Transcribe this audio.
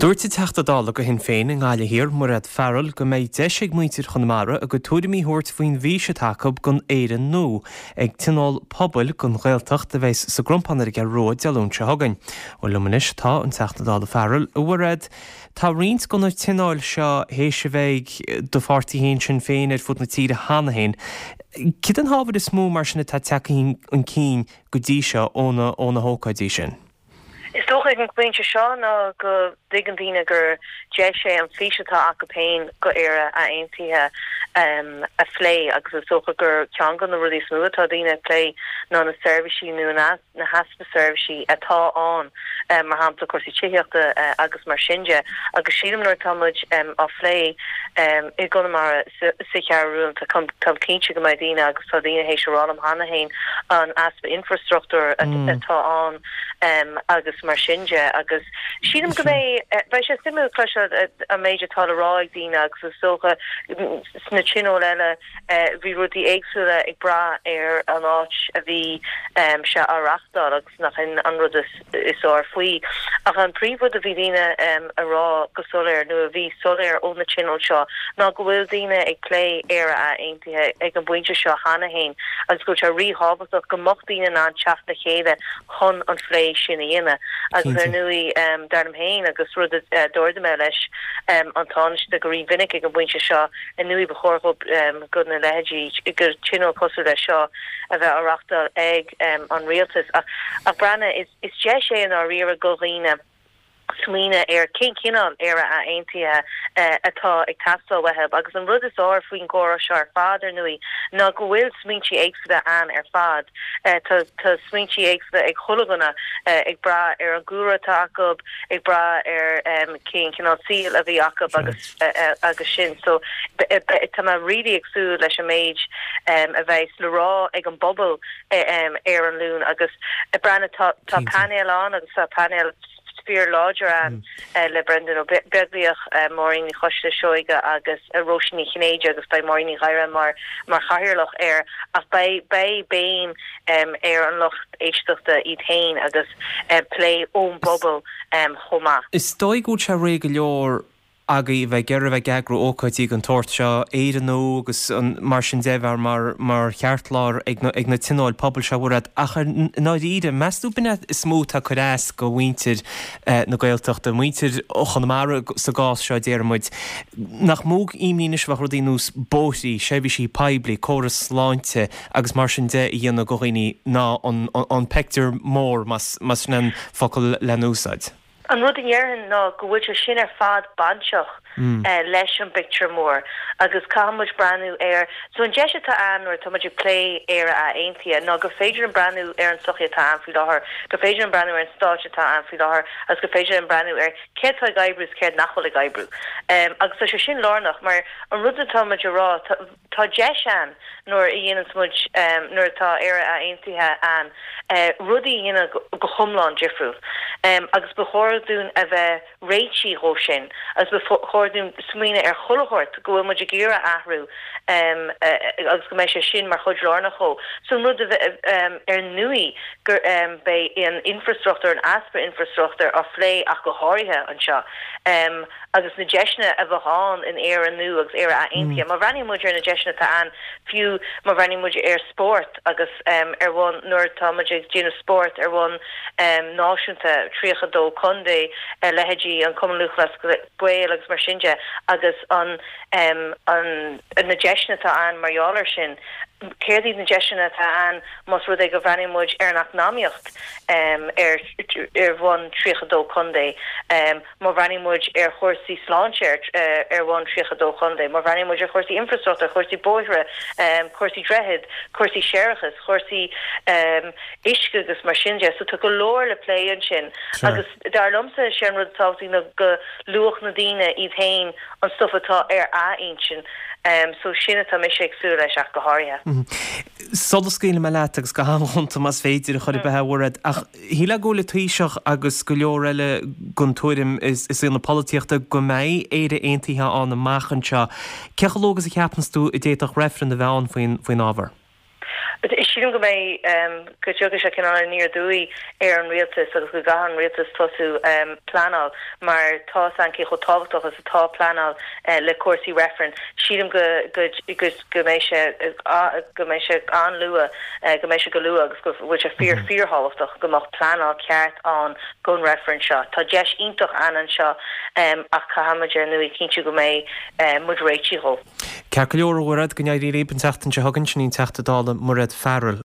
Dúirt an Teachta Dála do Shinn Féin i nGaillimh Thiar, Mairéad Farrell, go mbeidh deis ag muintir Chonamara a gcuid tuairimí a thabhairt faoin bhfís atá acu don Éire nua ag Tionól Pobail don Ghaeltacht a bheas sa gCrompán ar an gCeathrú Rua Dé Luain seo chugainn. Bhuel, liom anois tá an Teachta Dála Farrell. A Mhairéad, tá roinnt de na tionóil seo théis a bheith ag do pháirtí féin, Sinn Féin, ar fud na tíre cheana féin. Céard an t-ábhar is mó mar sin atá tagtha chun cinn go dtí seo ó na hócáidí sin? Is dócha ag an bpointe seo ná go dtuigeann daoine gur deis é an fís atá acu féin go Éire aontaithe a phlé agus is dócha gur ceann de na rudaí is mó atá daoine ag plé ná na seirbhísí nó na heaspa seirbhísí atá ann, mar shampla cúrsaí tithíochta agus mar sin de. Agus sílim nuair atá muid á phlé i gConamara sa Cheathrú Rua, táim cinnte go mbeidh daoine, agus tá daoine théis a rá liom cheana féin, an easpa infreastruchtúir atá ann agus mar sin de. Agus sílim go mbeidh, beidh sé suimiúil cloisteáil an méid atá le rá ag daoine agus is dócha sna tionóil eile bhí rudaí éagsúla ag brath ar an áit a bhí sé á reachtáil agus nach in an rud is fearr faoi. Ach an príomhrud a bhí daoine a rá go soiléir, nó a bhí soiléir ó na tionóil seo, ná go bhfuil daoine ag plé Éire Aontaithe ag an bpointe seo cheana féin agus go bhfuil sé ríthábhachtach go mbeadh daoine in ann teacht le chéile chun an phlé sin a dhéanamh. Agus ar ndóigh, dar liom féin, agus rud a d'ardaigh mé leis an Tánaiste go rímhinic ag an bpointe seo, ar ndóigh ba chóir go na leithéidí, go tionól cosúil leis seo a bheith á reachtáil ag. an rialtas. Ach breathnaigh, is deis é i ndáiríre go dhaoine smaoineamh ar cén cineál Éire aontaithe atá ag teastáil uathu. Agus an rud is fearr faoin gcomhrá seo ar fad, ar ndóigh, ná go bhfuil smaointí éagsúla ann ar fad. Tá smaointí éagsúla ag chuile dhuine, ag brath ar an gcúlra atá acu, ag brath ar cén cineál saoil a bhí acu agus agus sin. So tá mé really ag súil leis an méid a bheas le rá ag an bpobal ar an Luan agus breathnaigh tá tá painéal ann agus tá painéal fíor láidir ann le Brendan Ó Beaglaoich, Máirín Ní Choisdealbha Seoige agus Róisín Ní Chinnéide agus beidh Máirín Ní Ghadhra mar mar chathaoirleach air ach beidh beidh béim ar an lucht éisteachta iad féin agus plé ón bpobal chomh maith. Is dóigh go bhfuil sé réidh go leor agaibh a bheith ag iarraidh a bheith ag eagrú ócáidí den tsórt seo, Éire Nua agus mar sin de, bheith mar mar cheartlár ag na ag na tionóil pobail seo, a Mhairéad. Ach i ndáiríre, meas tú b'in é is mó atá ag cur as go mhuintir na Gaeltachta, muintir Chonamara sa gcás seo, déarfaidh muid, nach mó imní anois a bheadh rudaí ar nós bóithrí, seirbhísí poiblí, córas sláinte agus mar sin de a dhéanamh go dhaoine ná an an pictiúr mór, más más sin an focal le n-úsáid. An rud a dhéarfainn ná go bhfuil sé sin ar fad bainteach leis an bpictiúr mór agus caithfidh muid breathnú ar, so an deis atá ann nuair atá muid ag plé Éire Aontaithe ná gur féidir linn breathnú ar an tsochaí atá ann faoi láthair, gur féidir linn breathnú ar an stáit atá ann faoi láthair agus gur féidir linn breathnú ar céard atá ag oibriú is céard nach bhfuil ag oibriú. Agus tá sé sin lárnach mar an rud atá muid a rá, Tá deis ann nuair a dhéananns muid, nuair atá Éire Aontaithe ann, rudaí a dhéanamh go hiomlán difriúil. Agus ba chóir dúinn a bheith réitithe dhó sin agus ba chóir dúinn smaoineamh ar chuile shórt go bhfuil muid ag iarraidh athrú agus go mbeidh sé sin mar chuid lárnach dhó. So an rud a bheith, ar ndóigh, gur beidh an infreastruchtúr, an easpa infreastruchtúir á phlé ach go háirithe anseo. agus na deiseanna a bheadh ann in Éire nua agus Éire Aontaithe. Má bhreathnaíonn muid ar na deiseanna atá ann, fiú má bhreathnaíonn muid ar spórt agus ar bhonn, nuair atá muid ag déanamh spórt ar bhonn náisiúnta, 32 contae, leithéidí an Cumann Lúthchleas Gael agus mar sin de, agus an, an, na deiseanna atá ann mar gheall air sin. Céard iad na deiseanna atá ann más rud é go bhreathnaíonn muid ar an eacnamaíocht ar, ar bhonn 32 contae? Má bhreathnaíonn muid ar chúrsaí sláinte ar bhonn 32 chontae, má bhreathnaíonn muid ar chúrsaí infreastruchtúir, chúrsaí bóithre, cúrsaí droichead, cúrsaí séarachais, chúrsaí uisce agus mar sin de. So tá go leor le plé ansin agus dar liomsa sé an rud is tábhachtaí ná go luafadh na daoine iad féin an stuif atá ar a n-intinn. So sin atá mise ag súil leis ach go háirithe. Sula scaoilfidh mé leat agus go han-ghonta más féidir a chor ar bith a Mhairéad, ach Shílfeá go bhfuil an Taoiseach agus go leor eile den tuairim i saol na polaitíochta go mbeidh Éire Aontaithe ann amach anseo. Cé chomh luath agus a cheapanns tú a d'fhéadfadh reifreann a bheith ann faoin ábhar? Sílim go mbeidh, go dtiocfaidh sé cineál aniar aduaidh ar an rialtas agus go gcaithfidh an rialtas tosú pleanáil mar tá a fhios againn cé chomh tábhachtach is atá pleanáil le cúrsaí reifrinn. Sílim go go go mbeidh sé go mbeidh sé an-luath, go mbeidh sé go luath agus go bhfuil sé fíor fíorthábhachtach go mbeadh pleanáil ceart ann don reifreann seo. Tá deis iontach ann anseo ach caithfimid ar ndóigh cinntiú go mbeidh muid réitithe dhó. Ceart go leor, a Mhairéad, go n-éirí libh an tseachtain seo chugainn, sin í an Teachta Dála Mairéad Farrell.